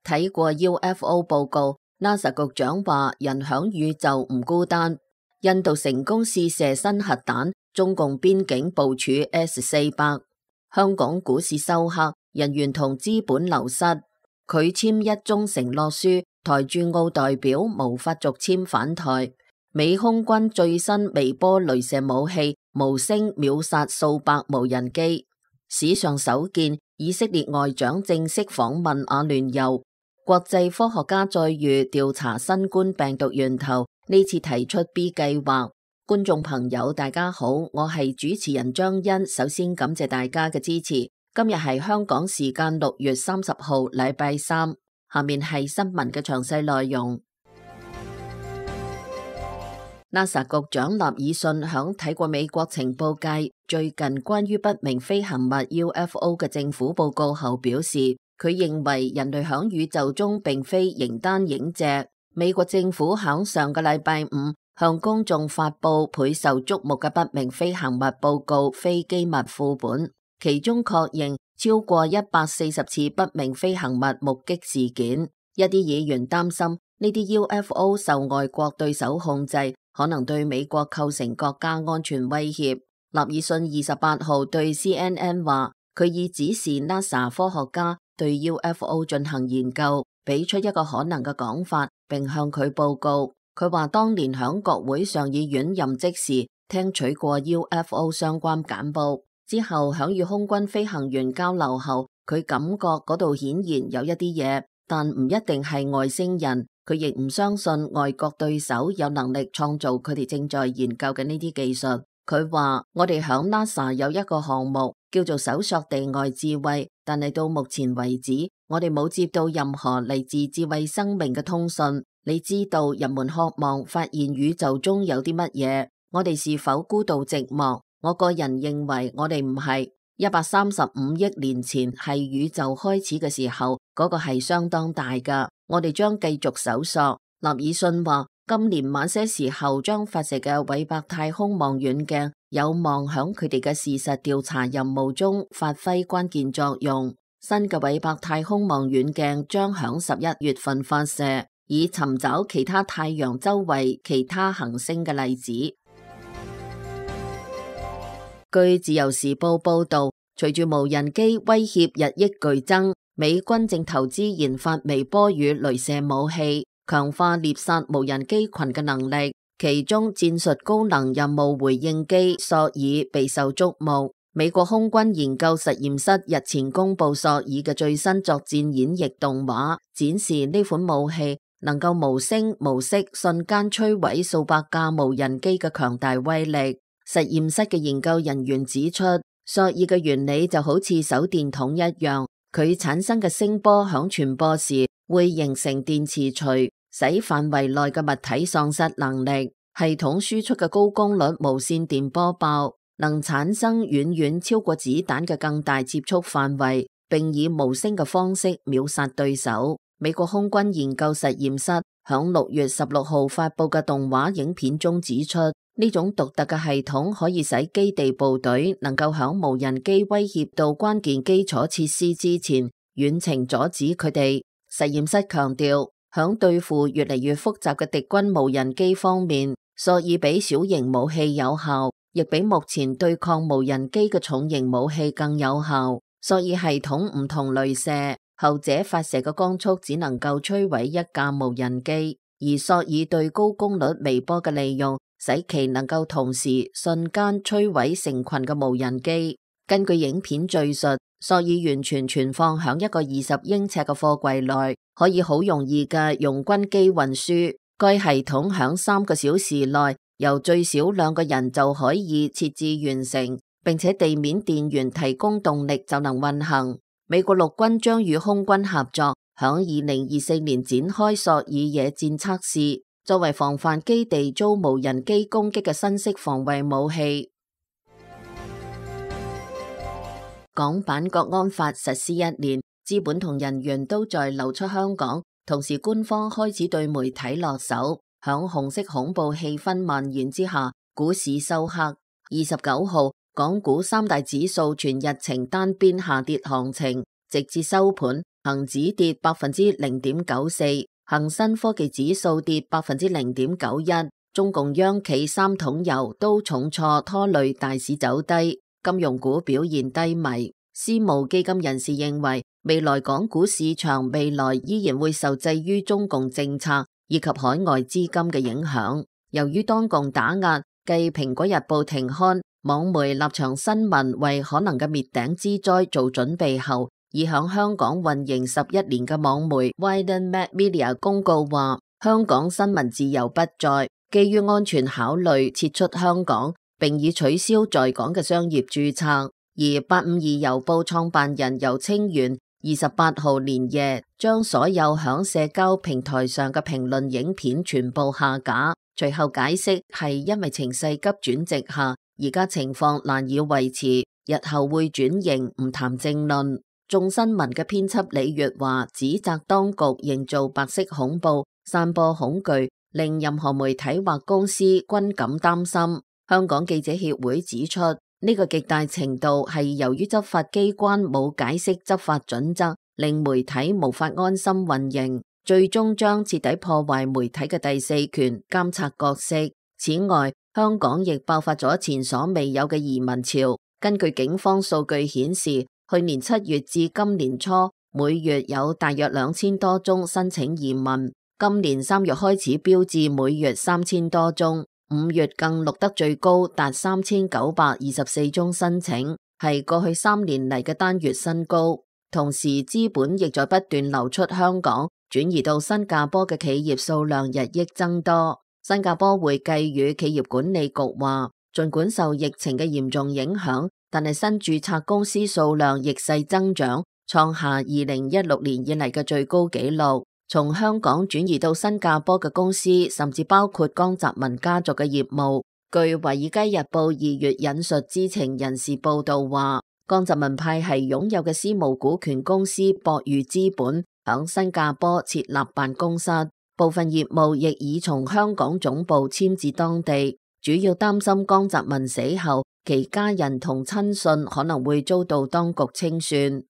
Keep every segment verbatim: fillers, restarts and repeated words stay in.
睇過 U F O 報告 ，NASA 局長話人響宇宙唔孤單。印度成功試射新核彈，中共邊境部署 S 四百。香港股市收黑，人員同資本流失。拒簽一中承諾書，台駐澳代表無法續簽返台。美空軍最新微波鐳射武器無聲秒殺數百無人機。史上首見，以色列外長正式訪問阿聯酋。國際科學家再遇調查新冠病毒源頭，呢次提出 B 計劃。觀眾朋友大家好，我係主持人張欣，首先感謝大家嘅支持。今日係香港時間六月三十號禮拜三，下面係新聞嘅詳細內容。NASA 局長納爾遜響睇過美國情報界最近關於不明飛行物 U F O 嘅政府報告後表示，佢認為人類響宇宙中並非形單影隻。美國政府響上個禮拜五向公眾發佈倍受矚目嘅不明飛行物報告非機密副本，其中確認超過一百四十次不明飛行物目擊事件。一啲議員擔心呢啲 U F O 受外國對手控制，可能對美國構成國家安全威脅。納爾遜二十八號對 C N N 話，佢已指示 NASA 科學家對 U F O 進行研究，俾出一個可能嘅講法，並向佢報告。佢話當年響國會上議院任職時，聽取過 U F O 相關簡報，之後響與空軍飛行員交流後，佢感覺嗰度顯然有一啲嘢，但唔一定係外星人。佢亦唔相信外國對手有能力創造佢哋正在研究嘅呢啲技術。佢話我哋響 NASA 有一個項目叫做搜索地外智慧，但係到目前為止，我哋冇接到任何嚟自智慧生命嘅通訊。你知道人們渴望發現宇宙中有啲乜嘢，我哋是否孤獨寂寞？我個人認為我哋唔係。一百三十五億年前係宇宙開始嘅時候，嗰個係相當大㗎。我哋將繼續搜索。納爾遜話，今年晚些時候將發射嘅韋伯太空望遠鏡有望響佢哋嘅事實調查任務中發揮關鍵作用。新嘅韋伯太空望遠鏡將響十一月份發射，以尋找其他太陽周圍其他行星嘅例子。據自由時報報道，隨住無人機威脅日益劇增，美軍正投資研發微波與鐳射武器，強化獵殺無人機群嘅能力。其中戰術高能任務回應機索爾備受矚目。美國空軍研究實驗室日前公布索爾嘅最新作戰演繹動畫，展示呢款武器能夠無聲無息瞬間摧毀數百架無人機嘅強大威力。實驗室嘅研究人員指出，索爾嘅原理就好似手電筒一樣，佢產生嘅聲波響傳播時會形成電磁錘，使範圍內嘅物體喪失能力。系統輸出嘅高功率無線電波爆能產生遠遠超過子彈嘅更大接觸範圍，並以無聲嘅方式秒殺對手。美國空軍研究實驗室響六月十六號發佈嘅動畫影片中指出，呢種獨特嘅系統可以使基地部隊能夠響無人機威脅到關鍵基礎設施之前，遠程阻止佢哋。實驗室強調，響對付越嚟越複雜嘅敵軍無人機方面，索爾比小型武器有效，亦比目前對抗無人機嘅重型武器更有效。索爾系統唔同鐳射，後者發射嘅光速只能夠摧毀一架無人機，而索爾對高功率微波嘅利用，使其能夠同時瞬間摧毀成群嘅無人機。根據影片敘述，索爾完全存放響一個二十英尺嘅貨櫃內，可以好容易嘅用軍機運輸。該系統響三個小時內，由最少兩個人就可以設置完成，並且地面電源提供動力就能運行。美國陸軍將與空軍合作，響二零二四年展開索爾野戰測試。作為防範基地遭無人機攻擊嘅新式防衛武器。港版國安法實施一年，資本同人員都在流出香港，同時官方開始對媒體落手。響紅色恐怖氣氛蔓延之下，股市收黑。二十九號，港股三大指數全日呈單邊下跌行情，直至收盤，恒指跌百分之零點九四，恒生科技指數跌百分之零點九一。中共央企三桶油都重挫拖累大市走低，金融股表現低迷。私募基金人士認為，未來港股市場未來依然會受制於中共政策以及海外資金嘅影響。由於當共打壓，繼蘋果日報停刊，網媒立場新聞為可能嘅滅頂之災做準備後，已響香港運營十一年嘅網媒 Wieden Media 公告話，香港新聞自由不再，基於安全考慮撤出香港，並已取消在港嘅商業註冊。而八五二郵報創辦人游清源二十八號連夜將所有響社交平台上嘅評論影片全部下架，隨後解釋係因為情勢急轉直下，而家情況難以維持，日後會轉型唔談政論。眾新聞嘅編輯李月華指責當局營造白色恐怖，散播恐懼，令任何媒體或公司均感擔心。香港記者協會指出，呢個極大程度係由於執法機關冇解釋執法準則，令媒體無法安心運營，最終將徹底破壞媒體嘅第四權監察角色。此外，香港亦爆發咗前所未有嘅移民潮。根據警方數據顯示，去年七月至今年初，每月有大約兩千多宗申請移民，今年三月開始飆至每月三千多宗。五月更錄得最高達三千九百二十四宗申請，係過去三年嚟嘅單月新高。同時，資本亦在不斷流出香港，轉移到新加坡嘅企業數量日益增多。新加坡會計與企業管理局話，儘管受疫情嘅嚴重影響，但係新註冊公司數量逆勢增長，創下二零一六年以嚟嘅最高紀錄。從香港轉移到新加坡嘅公司，甚至包括江澤民家族嘅業務。據《華爾街日報》二月引述知情人士報道話，江澤民派系擁有嘅私募股權公司博裕資本響新加坡設立辦公室，部分業務亦已從香港總部遷至當地，主要擔心江澤民死後，其家人同親信可能會遭到當局清算。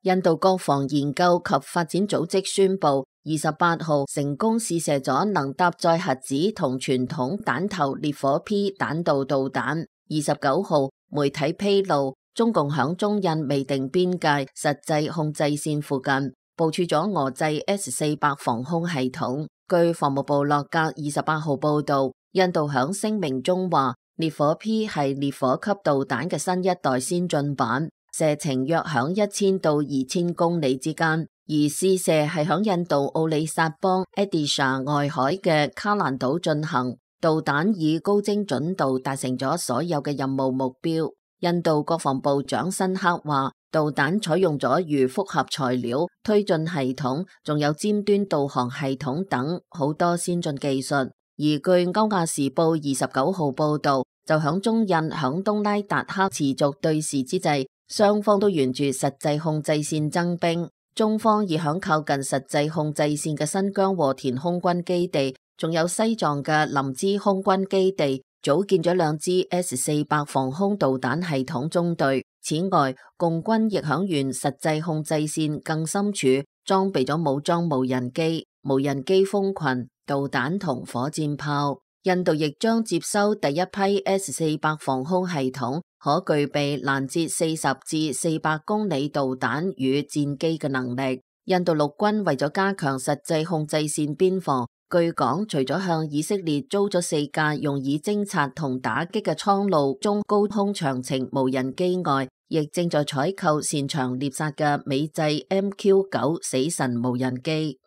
印度國防研究及發展組織宣布，二十八號成功試射咗能搭載核子同傳統彈頭烈火 P 彈道導彈。二十九號媒體披露，中共響中印未定邊界實際控制線附近部署咗俄製 S 四百防空系統。據防務部落格二十八號報道，印度響聲明中話，烈火 P 係烈火級導彈嘅新一代先進版。射程約響一千到二千公里之間，而試射係響印度奧里薩邦 Odisha 外海嘅卡蘭島進行。導彈以高精準度達成咗所有嘅任務目標。印度國防部長辛克話，導彈採用咗預複合材料、推進系統，仲有尖端導航系統等好多先進技術。而據歐亞時報二十九號報道，就響中印響東拉達克持續對峙之際，雙方都沿住實際控制線增兵，中方已響靠近實際控制線嘅新疆和田空軍基地，仲有西藏嘅林芝空軍基地，組建咗兩支 S 四百防空導彈系統中隊。此外，共軍亦響沿實際控制線更深處裝備咗武裝無人機、無人機蜂群、導彈同火箭炮。印度亦將接收第一批 S 四百防空系統，可具備攔截四十至四百公里導彈與戰機嘅能力。印度陸軍為咗加強實際控制線邊防，據講除咗向以色列租咗四架用以偵察同打擊嘅蒼鷺中高空長程無人機外，亦正在採購擅長獵殺嘅美製 M Q 九死神無人機。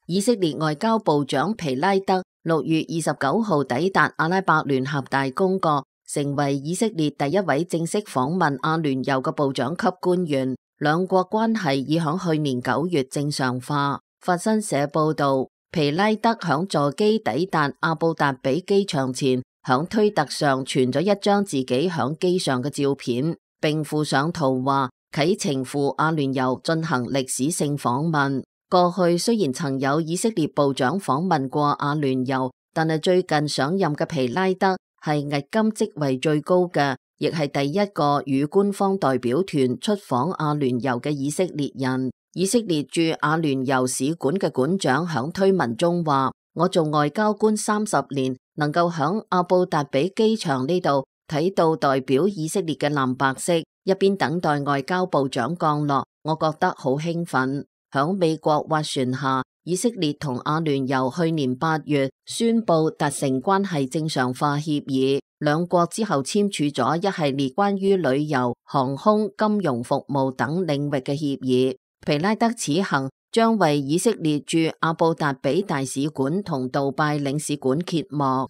以色列外交部長皮拉德六月二十九號抵達阿拉伯聯合大公國，成為以色列第一位正式訪問阿聯酋嘅部長級官員。兩國關係已響去年九月正常化。法新社報道，皮拉德響座機抵達阿布達比機場前，響推特上傳咗一張自己響機上嘅照片，並附上圖話啟程赴阿聯酋進行歷史性訪問。過去雖然曾有以色列部長訪問過阿聯酋，但係最近上任嘅皮拉德係迄今職位最高嘅，亦係第一個與官方代表團出訪阿聯酋嘅以色列人。以色列駐阿聯酋使館嘅館長響推文中話：我做外交官三十年，能夠響阿布達比機場呢度睇到代表以色列嘅藍白色，一邊等待外交部長降落，我覺得好興奮。響美國斡旋下，以色列同阿聯酋去年八月宣布達成關係正常化協議，兩國之後簽署咗一系列關於旅遊、航空、金融服務等領域嘅協議。皮拉德此行將為以色列駐阿布達比大使館同杜拜領事館揭幕。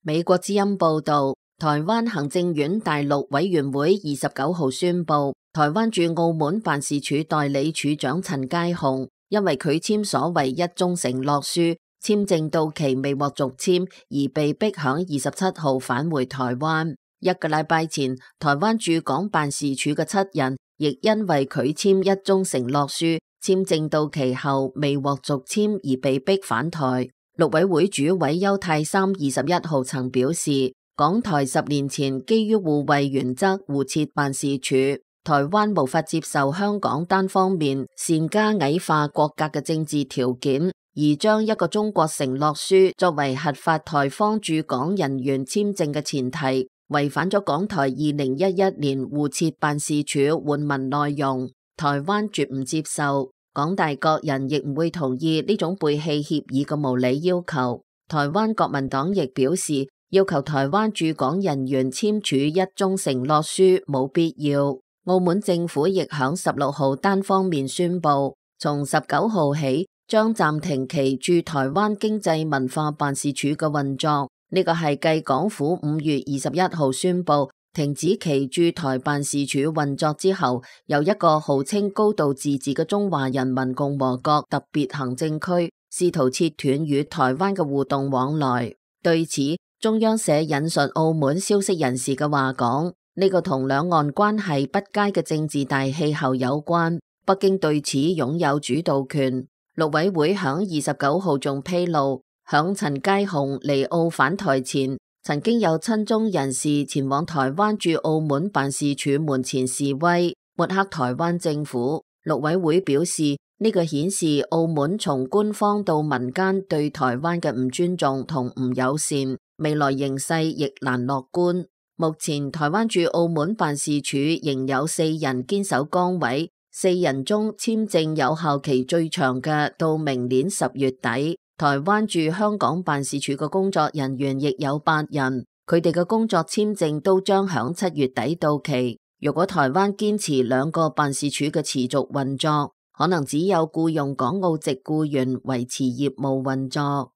美國之音報道，台灣行政院大陸委員會二十九號宣布，台灣駐澳門辦事處代理處長陳佳雄因為拒簽所謂一中承諾書，簽證到期未獲續簽，而被逼響二十七號返回台灣。一個禮拜前，台灣駐港辦事處嘅七人亦因為拒簽一中承諾書，簽證到期後未獲續簽而被逼返台。陸委會主委邱太三二十一號曾表示，港台十年前基於互惠原則互設辦事處，台灣無法接受香港單方面擅加矮化國格嘅政治條件，而將一個中國承諾書作為核發台方駐港人員簽證嘅前提，違反咗港台二零一一年互設辦事處換文內容，台灣絕唔接受。港大各人亦唔會同意呢種背棄協議嘅無理要求。台灣國民黨亦表示，要求台灣駐港人員簽署一中承諾書冇必要。澳門政府亦響十六號單方面宣布，從十九號起將暫停其駐台灣經濟文化辦事處嘅運作。呢個係繼港府五月二十一號宣布停止其駐台辦事處運作之後，由一個號稱高度自治嘅中華人民共和國特別行政區試圖切斷與台灣嘅互動往來。對此，中央社引述澳門消息人士嘅話講，呢個同兩岸關係不佳嘅政治大氣候有關，北京對此擁有主導權。陸委會響二十九號仲披露，響陳佳雄離澳返台前，曾經有親中人士前往台灣駐澳門辦事處門前示威，抹黑台灣政府。陸委會表示，呢個顯示澳門從官方到民間對台灣嘅唔尊重同唔友善，未來形勢亦難樂觀。目前台灣駐澳門辦事處仍有四人堅守崗位，四人中簽證有效期最長嘅到明年十月底。台灣駐香港辦事處嘅工作人員亦有八人，佢哋嘅工作簽證都將響七月底到期。如果台灣堅持兩個辦事處嘅持續運作，可能只有僱用港澳籍僱員維持業務運作。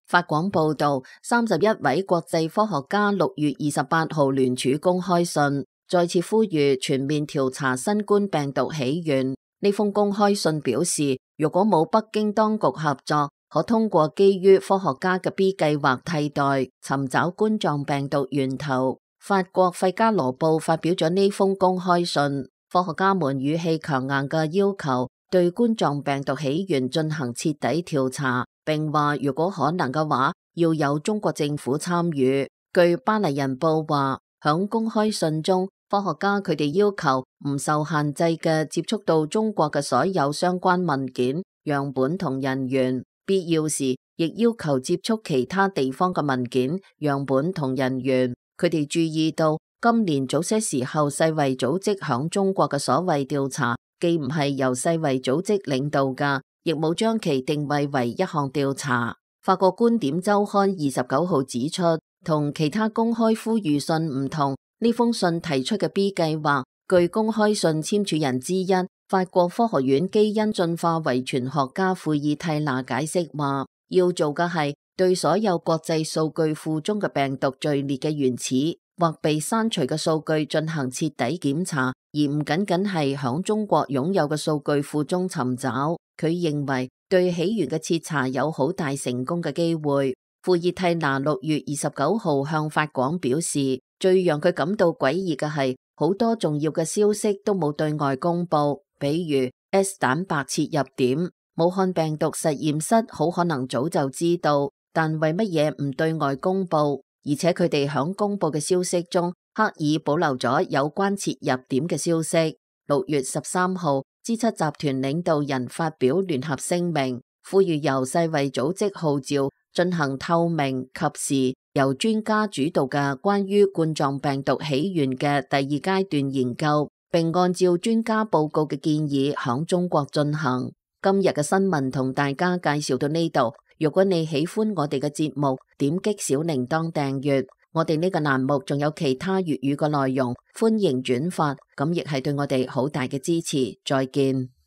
法廣報道，三十一位國際科學家六月二十八號聯署公開信，再次呼籲全面調查新冠病毒起源。呢封公開信表示，如果冇北京當局合作，可通過基於科學家嘅 B 計劃替代，尋找冠狀病毒源頭。法國費加羅報發表咗呢封公開信，科學家們語氣強硬嘅要求對冠狀病毒起源進行徹底調查，並話如果可能嘅話，要有中國政府參與。據巴黎人報話，響公開信中，科學家佢哋要求唔受限制嘅接觸到中國嘅所有相關文件、樣本同人員，必要時亦要求接觸其他地方嘅文件、樣本同人員。佢哋注意到今年早些時候世衛組織響中國嘅所謂調查，既唔係由世衛組織領導㗎，亦冇將其定位為一項調查。法國觀點週刊二十九號指出，同其他公開呼籲信唔同，呢封信提出嘅 B 計劃，據公開信簽署人之一法國科學院基因進化遺傳學家庫爾蒂娜解釋話，要做嘅係對所有國際數據庫中嘅病毒序列嘅原始或被刪除嘅數據進行徹底檢查，而唔僅僅係響中國擁有嘅數據庫中尋找。佢認為對起源嘅徹查有好大成功嘅機會。庫爾蒂娜六月二十九號向法廣表示，最讓佢感到詭異嘅係，好多重要嘅消息都冇對外公布，比如 S 蛋白切入點，武漢病毒實驗室好可能早就知道，但為乜嘢唔對外公布？而且佢哋響公布嘅消息中刻意保留咗有關切入點嘅消息。六月十三號，G 七集團領導人發表聯合聲明，呼籲由世衛組織號召進行透明、及時、由專家主導嘅關於冠狀病毒起源嘅第二階段研究，並按照專家報告嘅建議響中國進行。今日嘅新聞同大家介紹到呢度。如果你喜歡我哋嘅節目，點擊小鈴鐺訂閱。我哋呢個欄目仲有其他粵語嘅內容，歡迎轉發，咁亦係對我哋好大嘅支持。再見。